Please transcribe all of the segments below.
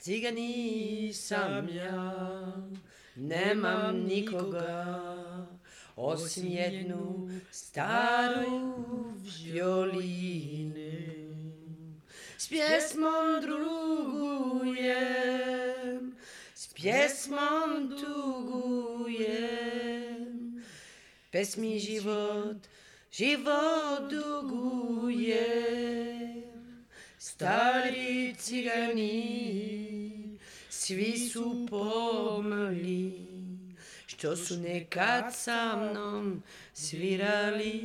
Cigani sam ja, nemam nikoga, osim jednu staru violine. S pjesmom drugujem, s pjesmom tugujem, pesmi život dugujem. Stari cigani, svi su pomrli, što su nekad sa mnom svirali.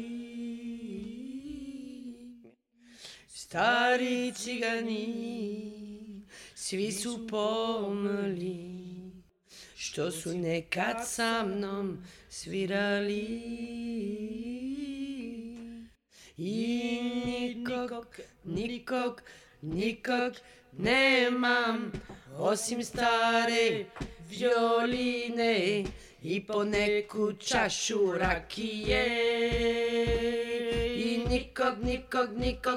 Stari cigani, svi su pomrli, što su nekad sa mnom svirali. I nikog nemam, osim stare violine i poneku čašu rakije. I nikog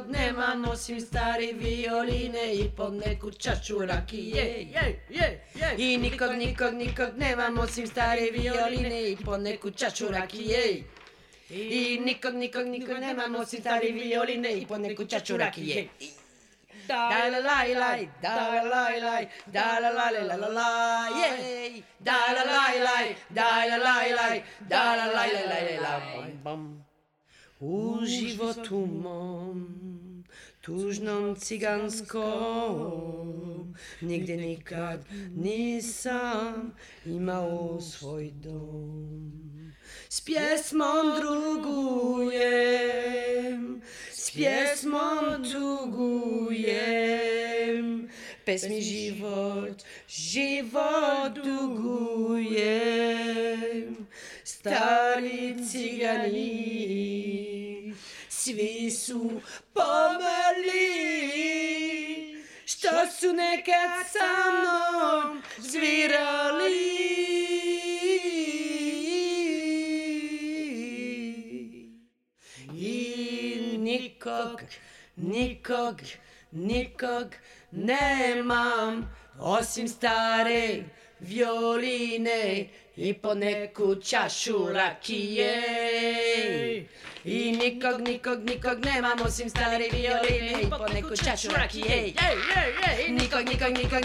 nemam, osim stare violine i poneku čašu rakije. I nikog nemam, osim stare violine i poneku čašu rakije. I nikog nemam, osim stare violine i poneku čašu rakije. Da la la la, da la la la, da la la la la la, jej. Da la la la, da la la la, da la la la la. U životu mom, tužnom ciganskom, nigdje nikad nisam imao svoj dom. S pjesmom drugujem, s pjesmom tugujem, pesmi život dugujem. Stari cigani, svi su pomrli, što su nekad sa mnom svirali. Nikog nemam, osim stare violine i poneku čašu rakije. I nikog nemam, osim stare violine i poneku čašu rakije. Nikog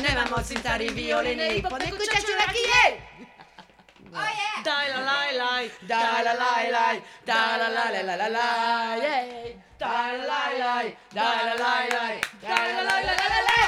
nemam, osim stare violine i poneku čašu rakije. Da la la la, da la la la, da la la la la la, yeah. Da la la la, da la la la, da la la la la la.